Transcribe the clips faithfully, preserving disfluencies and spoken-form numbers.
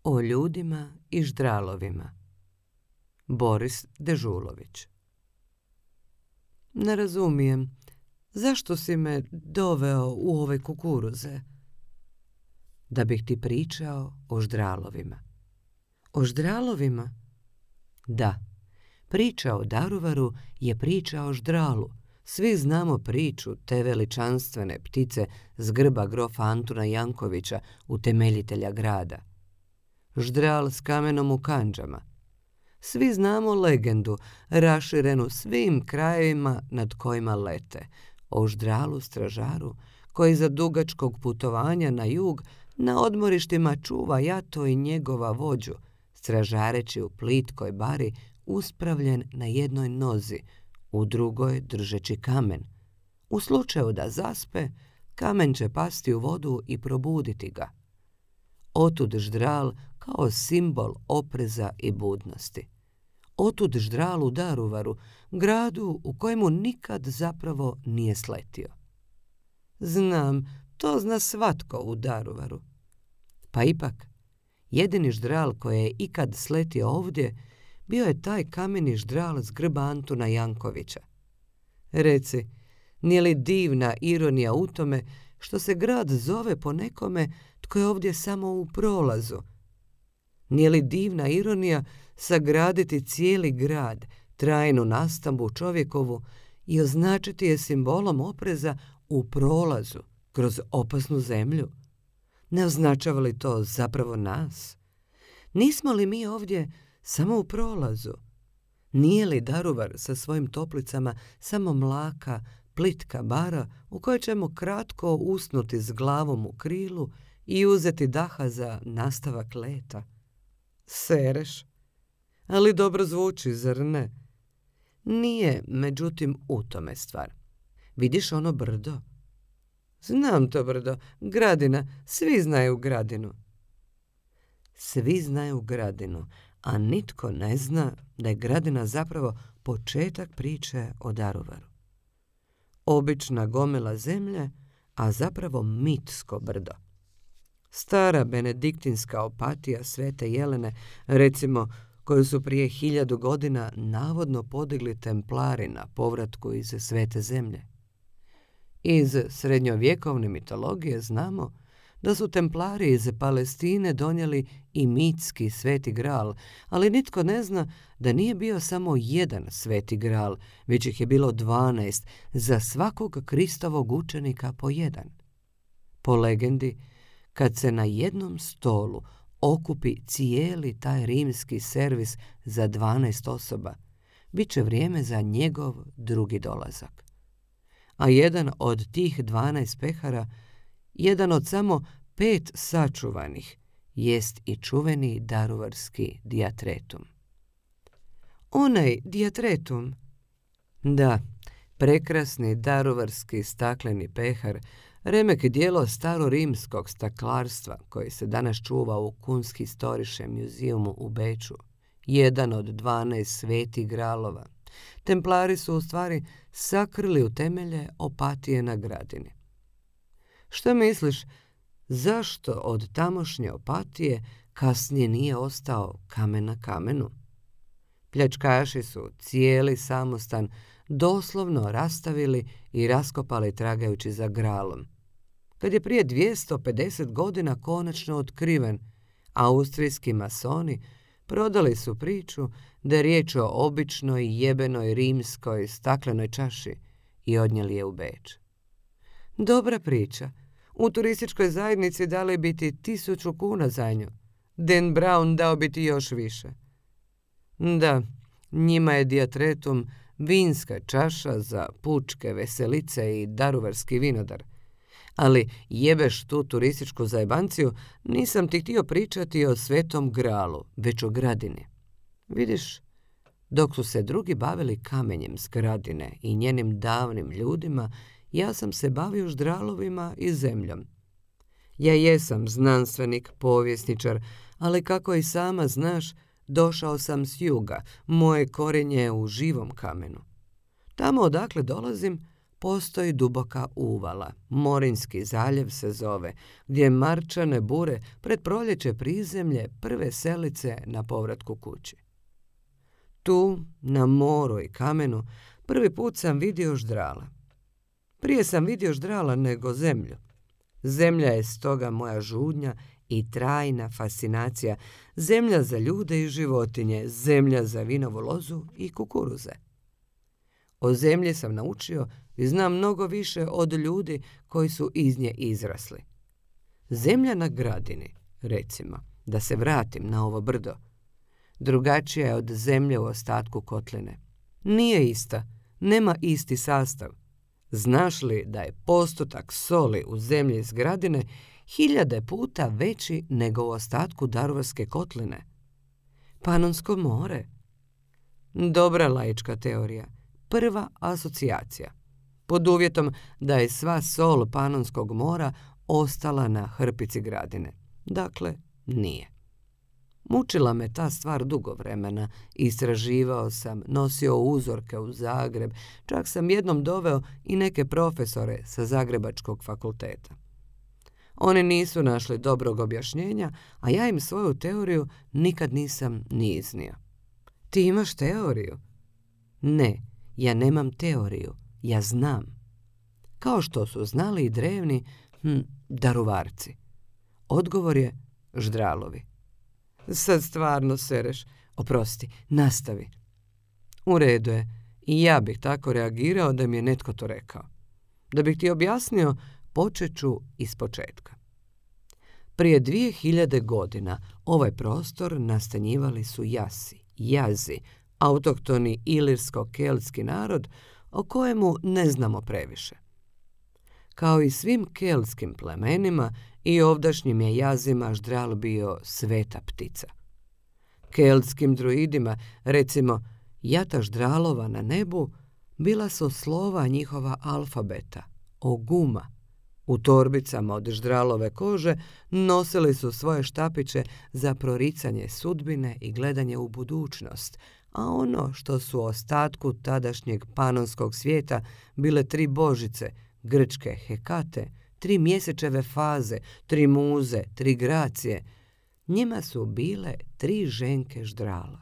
O ljudima i ždralovima. Boris Dežulović. Ne razumijem, zašto si me doveo u ove kukuruze? Da bih ti pričao o ždralovima. O ždralovima? Da, priča o Daruvaru je priča o ždralu. Svi znamo priču te veličanstvene ptice s grba grofa Antuna Jankovića, utemeljitelja grada. Ždral s kamenom u kandžama. Svi znamo legendu, raširenu svim krajevima nad kojima lete, o ždralu stražaru koji za dugačkog putovanja na jug na odmorištima čuva jato i njegova vođu, stražareći u plitkoj bari uspravljen na jednoj nozi, u drugoj držeći kamen. U slučaju da zaspe, kamen će pasti u vodu i probuditi ga. Otud ždral kao simbol opreza i budnosti. Otud ždral u Daruvaru, gradu u kojemu nikad zapravo nije sletio. Znam, to zna svatko u Daruvaru. Pa ipak, jedini ždral koji je ikad sletio ovdje bio je taj kameni ždral s grba Antuna Jankovića. Reci, nije li divna ironija u tome što se grad zove po nekome tko je ovdje samo u prolazu? Nije li divna ironija sagraditi cijeli grad, trajnu nastambu čovjekovu i označiti je simbolom opreza u prolazu kroz opasnu zemlju? Ne označava li to zapravo nas? Nismo li mi ovdje samo u prolazu? Nije li Daruvar sa svojim toplicama samo mlaka, plitka bara u kojoj ćemo kratko usnuti s glavom u krilu i uzeti daha za nastavak leta? Sereš? Ali dobro zvuči, zar ne? Nije, međutim, u tome stvar. Vidiš ono brdo? Znam to brdo, Gradina, svi znaju Gradinu. Svi znaju Gradinu, a nitko ne zna da je Gradina zapravo početak priče o Daruvaru. Obična gomila zemlje, a zapravo mitsko brdo. Stara benediktinska Opatija Svete Jelene, recimo, koju su prije hiljadu godina navodno podigli templari na povratku iz Svete zemlje. Iz srednjovjekovne mitologije znamo da su templari iz Palestine donijeli i mitski sveti gral, ali nitko ne zna da nije bio samo jedan sveti gral, već ih je bilo dvanaest, za svakog Kristovog učenika po jedan. Po legendi, kad se na jednom stolu okupi cijeli taj rimski servis za dvanaest osoba, bit će vrijeme za njegov drugi dolazak. A jedan od tih dvanaest pehara, jedan od samo pet sačuvanih, jest i čuveni daruvarski diatretum. Onaj diatretum? Da, prekrasni daruvarski stakleni pehar, remek dijelo starorimskog staklarstva koji se danas čuva u Kunsthistorische Museumu u Beču, jedan od dvanaest svetih gralova. Templari su u stvari sakrili u temelje Opatije na Gradini. Što misliš, zašto od tamošnje Opatije kasnije nije ostao kamen na kamenu? Pljačkaši su cijeli samostan doslovno rastavili i raskopali tragajući za gralom. Kad je prije dvjesto pedeset godina konačno otkriven, austrijski masoni prodali su priču da je riječ o običnoj jebenoj rimskoj staklenoj čaši i odnijeli je u Beč. Dobra priča. U turističkoj zajednici dali bi ti tisuću kuna za nju. Dan Brown dao bi ti još više. Da, njima je diatretum vinska čaša za pučke veselice i daruvarski vinodar. Ali jebeš tu turističku zajebanciju, nisam ti htio pričati o Svetom gralu, već o Gradini. Vidiš, dok su se drugi bavili kamenjem s Gradine i njenim davnim ljudima, ja sam se bavio ždralovima i zemljom. Ja jesam znanstvenik, povjesničar, ali kako i sama znaš, došao sam s juga, moje korenje je u živom kamenu. Tamo odakle dolazim, postoji duboka uvala, Morinski zaljev se zove, gdje marčane bure pred proljeće prizemlje prve selice na povratku kući. Tu, na moru i kamenu, prvi put sam vidio ždrala. Prije sam vidio ždrala nego zemlju. Zemlja je stoga moja žudnja i trajna fascinacija, zemlja za ljude i životinje, zemlja za vinovu lozu i kukuruze. O zemlji sam naučio i znam mnogo više od ljudi koji su iz nje izrasli. Zemlja na Gradini, recimo, da se vratim na ovo brdo, drugačija je od zemlje u ostatku kotline. Nije ista, nema isti sastav. Znaš li da je postotak soli u zemlji iz Gradine hiljade puta veći nego u ostatku Daruvarske kotline? Panonsko more. Dobra laička teorija, prva asocijacija, pod uvjetom da je sva sol Panonskog mora ostala na hrpici Gradine. Dakle, nije. Mučila me ta stvar dugo vremena, istraživao sam, nosio uzorke u Zagreb, čak sam jednom doveo i neke profesore sa Zagrebačkog fakulteta. Oni nisu našli dobrog objašnjenja, a ja im svoju teoriju nikad nisam ni iznio. Ti imaš teoriju? Ne, ja nemam teoriju, ja znam. Kao što su znali i drevni hm, Daruvarci. Odgovor je ždralovi. Sad stvarno sereš. Oprosti, nastavi. U redu je. I ja bih tako reagirao da mi je netko to rekao. Da bih ti objasnio, počet ću iz početka. Prije dvije hiljade godina ovaj prostor nastanjivali su Jasi, Jazi, autohtoni ilirsko-keltski narod o kojemu ne znamo previše. Kao i svim keltskim plemenima, i ovdašnjim je Jazima ždral bio sveta ptica. Keltskim druidima, recimo, jata ždralova na nebu, bila su slova njihova alfabeta, oguma. U torbicama od ždralove kože nosili su svoje štapiće za proricanje sudbine i gledanje u budućnost, a ono što su u ostatku tadašnjeg panonskog svijeta bile tri božice, grčke Hekate, tri mjesečeve faze, tri muze, tri gracije, njima su bile tri ženke ždrala.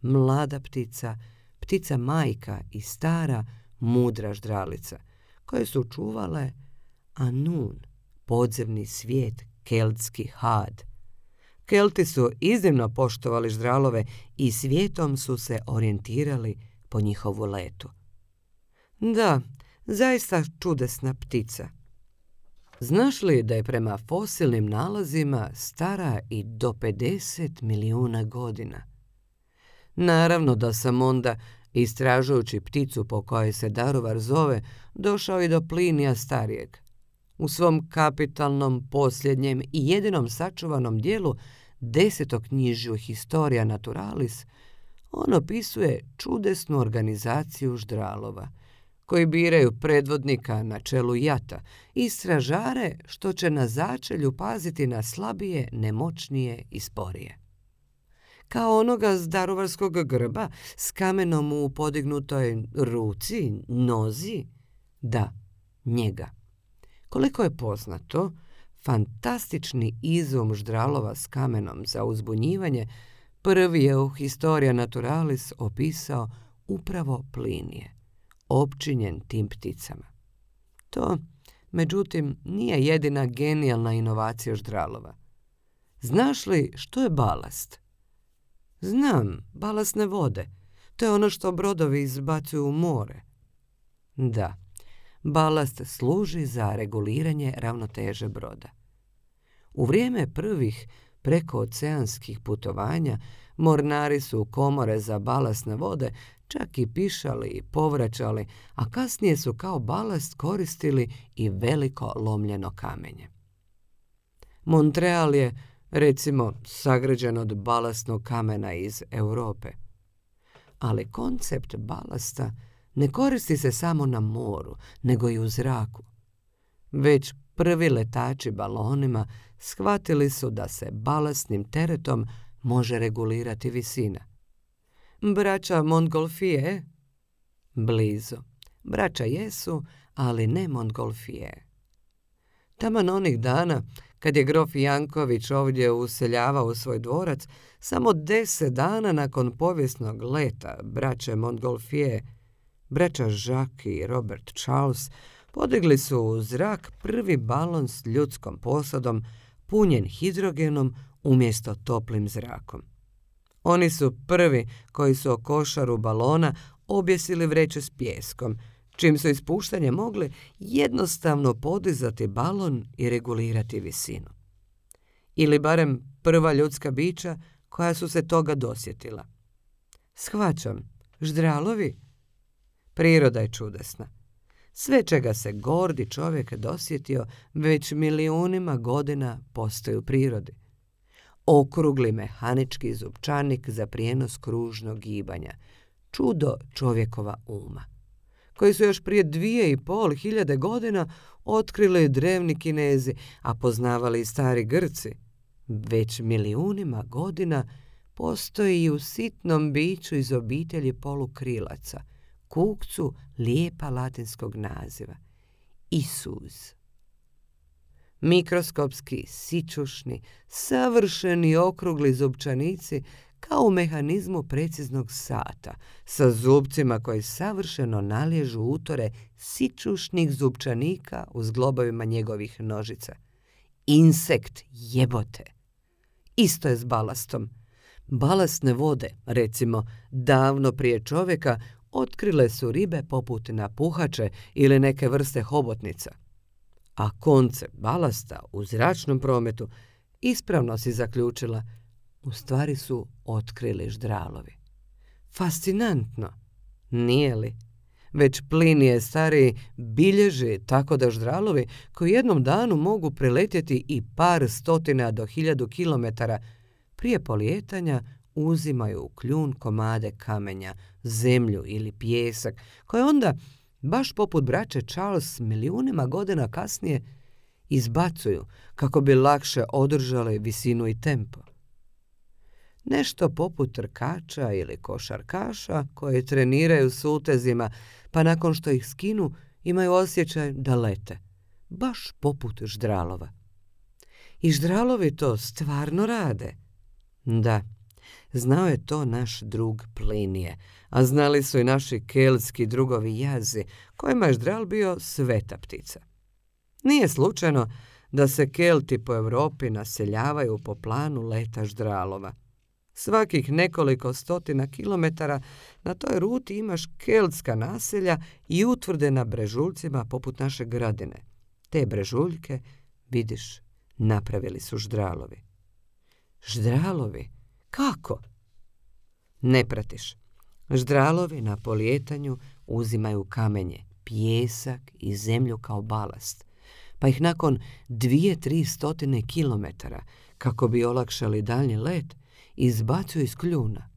Mlada ptica, ptica majka i stara, mudra ždralica, koje su čuvale Anun, podzemni svijet, keltski had. Kelti su iznimno poštovali ždralove i svijetom su se orijentirali po njihovu letu. Da, zaista čudesna ptica. Znaš li da je prema fosilnim nalazima stara i do pedeset milijuna godina? Naravno da sam onda, istražujući pticu po kojoj se Daruvar zove, došao i do Plinija starijeg. U svom kapitalnom, posljednjem i jedinom sačuvanom dijelu desetoknjižju Historia Naturalis, on opisuje čudesnu organizaciju ždralova, koji biraju predvodnika na čelu jata i stražare što će na začelju paziti na slabije, nemoćnije i sporije. Kao onoga s daruvarskog grba s kamenom u podignutoj ruci, nozi? Da, njega. Koliko je poznato, fantastični izum ždralova s kamenom za uzbunjivanje prvi je u Historia Naturalis opisao upravo Plinije, opčinjen tim pticama. To, međutim, nije jedina genijalna inovacija ždralova. Znaš li što je balast? Znam, balastne vode. To je ono što brodovi izbacuju u more. Da, balast služi za reguliranje ravnoteže broda. U vrijeme prvih prekooceanskih putovanja mornari su u komore za balastne vode čak i pišali i povraćali, a kasnije su kao balast koristili i veliko lomljeno kamenje. Montreal je, recimo, sagrađen od balastnog kamena iz Europe. Ali koncept balasta ne koristi se samo na moru, nego i u zraku. Već prvi letači balonima shvatili su da se balastnim teretom može regulirati visina. Braća Montgolfier? Blizu. Braća jesu, ali ne Montgolfier. Taman onih dana, kad je grof Janković ovdje useljavao u svoj dvorac, samo deset dana nakon povijesnog leta braće Montgolfier, braća Jacques i Robert Charles podigli su u zrak prvi balon s ljudskom posadom punjen hidrogenom umjesto toplim zrakom. Oni su prvi koji su o košaru balona objesili vreće s pijeskom, čim su ispuštanje mogli jednostavno podizati balon i regulirati visinu. Ili barem prva ljudska bića koja su se toga dosjetila. Shvaćam, ždralovi? Priroda je čudesna. Sve čega se gordi čovjek dosjetio već milijunima godina postoji u prirodi. Okrugli mehanički zupčanik za prijenos kružnog gibanja, čudo čovjekova uma, koji su još prije dvije i pol hiljade godina otkrili drevni Kinezi, a poznavali i stari Grci. Već milijunima godina postoji i u sitnom biću iz obitelji polukrilaca, kukcu lijepa latinskog naziva, Isuz. Mikroskopski, sićušni, savršeni okrugli zupčanici kao u mehanizmu preciznog sata, sa zupcima koji savršeno naliježu utore sićušnih zupčanika u zglobovima njegovih nožica. Insekt jebote. Isto je s balastom. Balastne vode, recimo, davno prije čovjeka otkrile su ribe poput napuhače ili neke vrste hobotnica. A konce balasta u zračnom prometu, ispravno si zaključila, u stvari su otkrili ždralovi. Fascinantno, nije li? Već Plinije stariji bilježi tako da ždralovi koji jednom danu mogu preletjeti i par stotina do hiljadu kilometara, prije polijetanja uzimaju u kljun komade kamenja, zemlju ili pijesak, koje onda, baš poput braće Charles milijunima godina kasnije, izbacuju kako bi lakše održali visinu i tempo. Nešto poput trkača ili košarkaša koji treniraju s utezima, pa nakon što ih skinu imaju osjećaj da lete, baš poput ždralova. I ždralovi to stvarno rade. Da, znao je to naš drug Plinije, a znali su i naši keltski drugovi Jazi, kojima je ždral bio sveta ptica. Nije slučajno da se Kelti po Europi naseljavaju po planu leta ždralova. Svakih nekoliko stotina kilometara na toj ruti imaš keltska naselja i utvrde na brežuljcima poput naše Gradine. Te brežuljke, vidiš, napravili su ždralovi. Ždralovi? Kako? Ne pratiš. Ždralovi na polijetanju uzimaju kamenje, pijesak i zemlju kao balast, pa ih nakon dvije, tri stotine kilometara, kako bi olakšali daljnji let, izbacuju iz kljuna.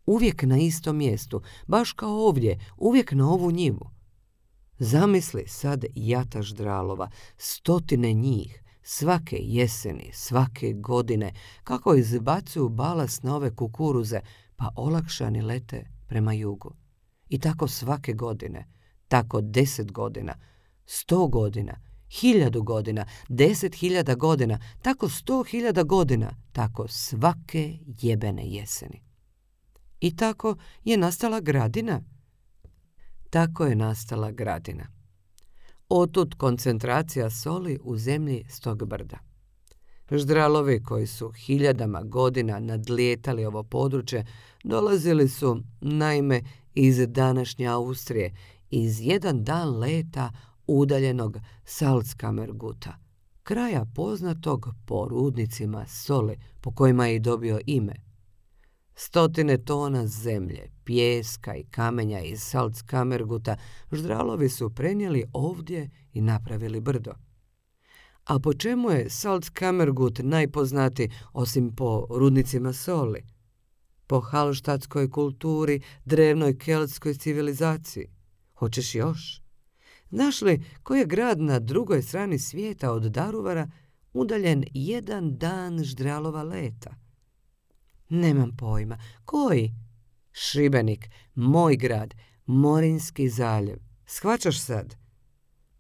Uvijek na istom mjestu, baš kao ovdje, uvijek na ovu njivu. Zamisli sad jata ždralova, stotine njih, svake jeseni, svake godine, kako izbacuju balast na ove kukuruze, pa olakšani lete prema jugu. I tako svake godine, tako deset godina, sto godina, hiljadu godina, deset hiljada godina, tako sto hiljada godina, tako svake jebene jeseni. I tako je nastala Gradina. Tako je nastala Gradina. Otud koncentracija soli u zemlji s tog brda. Ždralovi koji su hiljadama godina nadlijetali ovo područje dolazili su, naime, iz današnje Austrije, iz jedan dan leta udaljenog Salzkammerguta, kraja poznatog po rudnicima soli po kojima je i dobio ime. Stotine tona zemlje, pijeska i kamenja iz Salzkammerguta ždralovi su prenijeli ovdje i napravili brdo. A po čemu je Salzkammergut najpoznatiji osim po rudnicima soli? Po halštatskoj kulturi, drevnoj keltskoj civilizaciji. Hoćeš još? Znaš li koji je grad na drugoj strani svijeta od Daruvara udaljen jedan dan ždralova leta? Nemam pojma. Koji? Šibenik, moj grad, Morinski zaljev, Shvaćaš sad?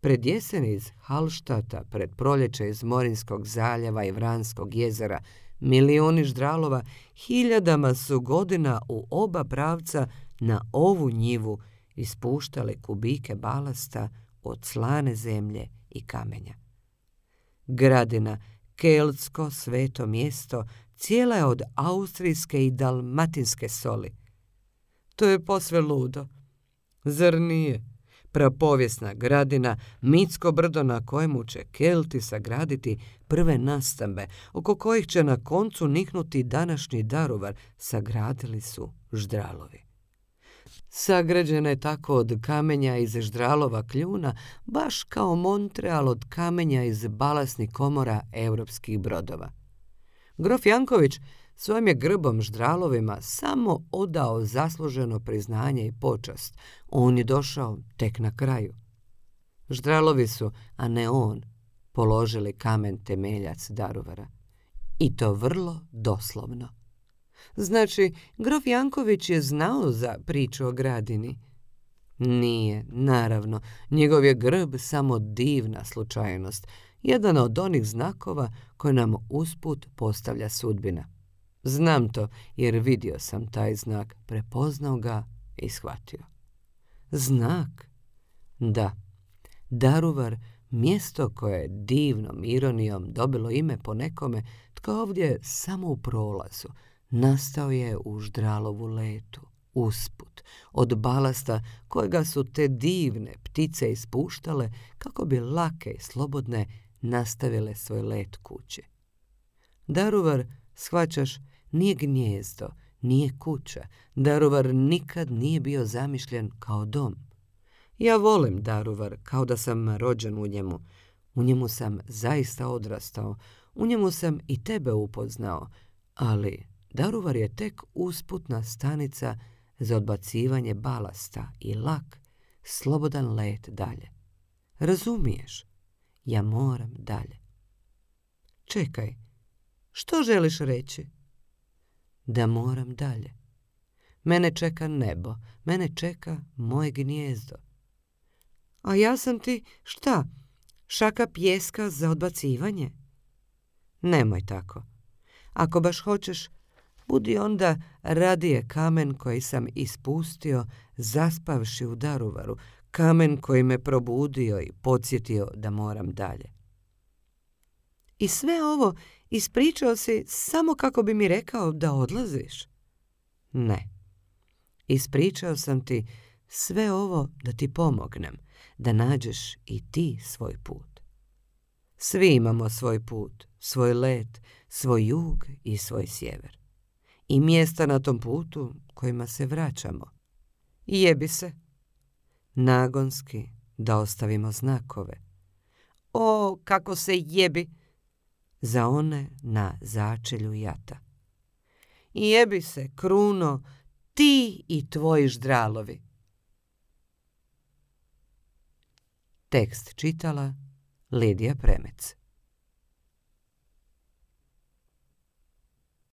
Pred jesen iz Hallstata, pred proljeće iz Morinskog zaljeva i Vranskog jezera, milioni ždralova hiljadama su godina u oba pravca na ovu njivu ispuštale kubike balasta od slane zemlje i kamenja. Gradina, keltsko sveto mjesto, cijela je od austrijske i dalmatinske soli. To je posve ludo. Zar nije? Prapovijesna gradina, mitsko brdo na kojemu će Kelti sagraditi prve nastambe, oko kojih će na koncu niknuti današnji Daruvar, sagradili su ždralovi. Sagrađena je tako od kamenja iz ždralova kljuna, baš kao Montreal od kamenja iz balasnih komora europskih brodova. Grof Janković svojim je grbom ždralovima samo odao zasluženo priznanje i počast. On je došao tek na kraju. Ždralovi su, a ne on, položili kamen temeljac Daruvara. I to vrlo doslovno. Znači, grof Janković je znao za priču o gradini? Nije, naravno. Njegov je grb samo divna slučajnost. Jedan od onih znakova koje nam usput postavlja sudbina. Znam to jer vidio sam taj znak, prepoznao ga i shvatio. Znak? Da. Daruvar, mjesto koje je divnom ironijom dobilo ime po nekome tko ovdje samo u prolazu, nastao je u ždralovu letu, usput, od balasta kojega su te divne ptice ispuštale kako bi lake i slobodne nastavile svoj let kući. Daruvar, shvaćaš, nije gnijezdo, nije kuća. Daruvar nikad nije bio zamišljen kao dom. Ja volim Daruvar kao da sam rođen u njemu. U njemu sam zaista odrastao. U njemu sam i tebe upoznao. Ali Daruvar je tek usputna stanica za odbacivanje balasta i lak, slobodan let dalje. Razumiješ? Ja moram dalje. Čekaj, što želiš reći? Da moram dalje. Mene čeka nebo, mene čeka moje gnijezdo. A ja sam ti, šta, šaka pijeska za odbacivanje? Nemoj tako. Ako baš hoćeš, budi onda radije kamen koji sam ispustio zaspavši u Daruvaru, kamen koji me probudio i podsjetio da moram dalje. I sve ovo ispričao si samo kako bi mi rekao da odlaziš? Ne. Ispričao sam ti sve ovo da ti pomognem, da nađeš i ti svoj put. Svi imamo svoj put, svoj let, svoj jug i svoj sjever. I mjesta na tom putu kojima se vraćamo. I jebi se. Nagonski da ostavimo znakove. O, kako se jebi! Za one na začelju jata. I jebi se, Kruno, ti i tvoji ždralovi. Tekst čitala Lidija Premec.